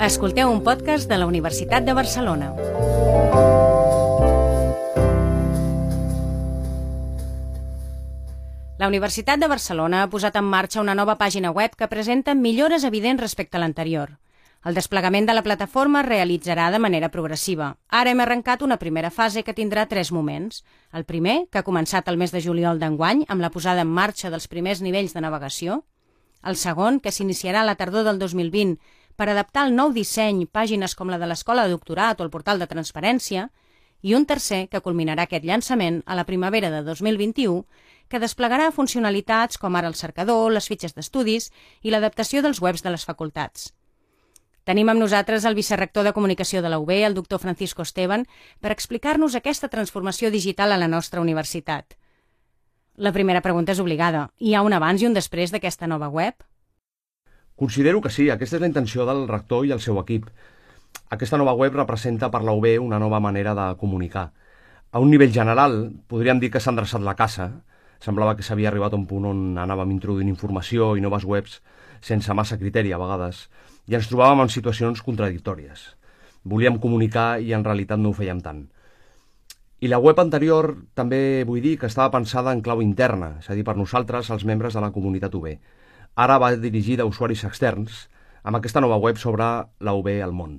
Escolteu un podcast de la Universitat de Barcelona. La Universitat de Barcelona ha posat en marxa una nova pàgina web que presenta millores evidents respecte a l'anterior. El desplegament de la plataforma es realitzarà de manera progressiva. Ara hem arrencat una primera fase que tindrà 3 moments. El primer, que ha començat el mes de juliol d'enguany, amb la posada en marxa dels primers nivells de navegació. El segon, que s'iniciarà a la tardor del 2020 per adaptar el nou disseny pàgines com la de l'Escola de Doctorat o el portal de Transparència. I un tercer, que culminarà aquest llançament a la primavera de 2021, que desplegarà funcionalitats com ara el cercador, les fitxes d'estudis i l'adaptació dels webs de les facultats. Tenim amb nosaltres el vicerrector de Comunicació de la UB, el doctor Francisco Esteban, per explicar-nos aquesta transformació digital a la nostra universitat. La primera pregunta és obligada. Hi ha un abans i un després d'aquesta nova web? Considero que sí, aquesta és la intenció del rector i el seu equip. Aquesta nova web representa per la UB una nova manera de comunicar. A un nivell general, podríem dir que s'ha endreçat la caça. Semblava que s'havia arribat a un punt on anàvem introduint informació i noves webs sense massa criteri a vegades, i ens trobàvem en situacions contradictòries. Volíem comunicar i en realitat no ho fèiem tant. I la web anterior també vull dir que estava pensada en clau interna, és a dir, per nosaltres, els membres de la comunitat UB. Ara va dirigida a usuaris externs, amb aquesta nova web sobre la UB al món.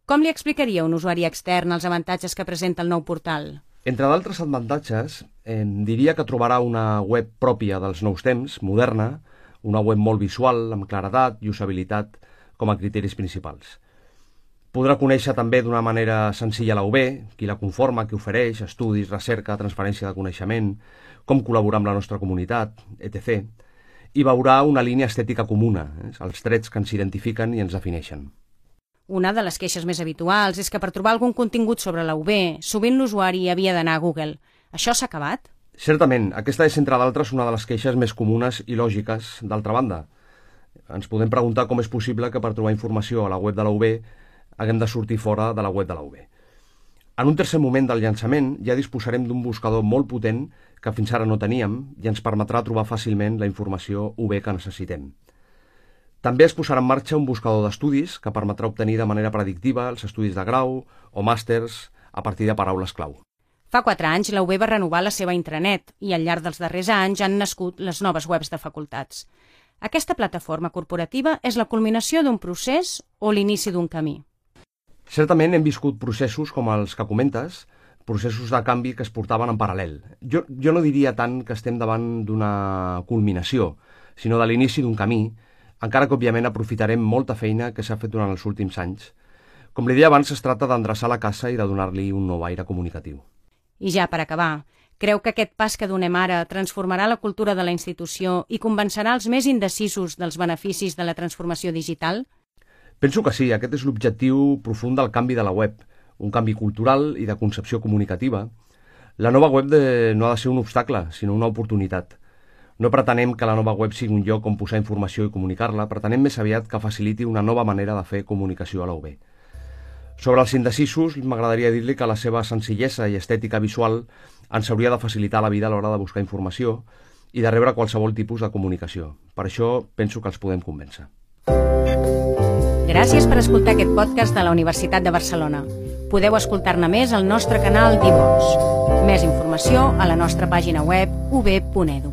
Com li explicaria a un usuari extern els avantatges que presenta el nou portal? Entre d'altres avantatges, diria que trobarà una web pròpia dels nous temps, moderna, una web molt visual, amb claredat i usabilitat com a criteris principals. Podrà conèixer també d'una manera senzilla la UB, qui la conforma, qui ofereix, estudis, recerca, transferència de coneixement, com col·laborar amb la nostra comunitat, etc. I veurà una línia estètica comuna, els trets que ens identifiquen i ens defineixen. Una de les queixes més habituals és que per trobar algun contingut sobre la UB, sovint l'usuari havia d'anar a Google. Això s'ha acabat? Certament, aquesta és, entre d'altres, una de les queixes més comunes i lògiques, d'altra banda. Ens podem preguntar com és possible que per trobar informació a la web de la UB haguem de sortir fora de la web de la UB. En un tercer moment del llançament ja disposarem d'un buscador molt potent que fins ara no teníem i ens permetrà trobar fàcilment la informació UB que necessitem. També es posarà en marxa un buscador d'estudis que permetrà obtenir de manera predictiva els estudis de grau o màsters a partir de paraules clau. Fa 4 anys la UB va renovar la seva intranet i al llarg dels darrers anys han nascut les noves webs de facultats. Aquesta plataforma corporativa és la culminació d'un procés o l'inici d'un camí? Certament hem viscut processos com els que comentes, processos de canvi que es portaven en paral·lel. Jo no diria tant que estem davant d'una culminació, sinó de l'inici d'un camí, encara que òbviament aprofitarem molta feina que s'ha fet durant els últims anys. Com li deia abans, es tracta d'endreçar la caça i de donar-li un nou aire comunicatiu. I ja per acabar, creu que aquest pas que donem ara transformarà la cultura de la institució i convencerà els més indecisos dels beneficis de la transformació digital? Penso que sí, aquest és l'objectiu profund del canvi de la web, un canvi cultural i de concepció comunicativa. La nova web no ha de ser un obstacle, sinó una oportunitat. No pretenem que la nova web sigui un lloc on posar informació i comunicar-la, pretenem més aviat que faciliti una nova manera de fer comunicació a la UB. Sobre els indecisos, m'agradaria dir-li que la seva senzillesa i estètica visual ens hauria de facilitar la vida a l'hora de buscar informació i de rebre qualsevol tipus de comunicació. Per això penso que els podem convèncer. Gràcies per escoltar aquest podcast de la Universitat de Barcelona. Podeu escoltar-ne més al nostre canal d'iVox. Més informació a la nostra pàgina web ub.edu.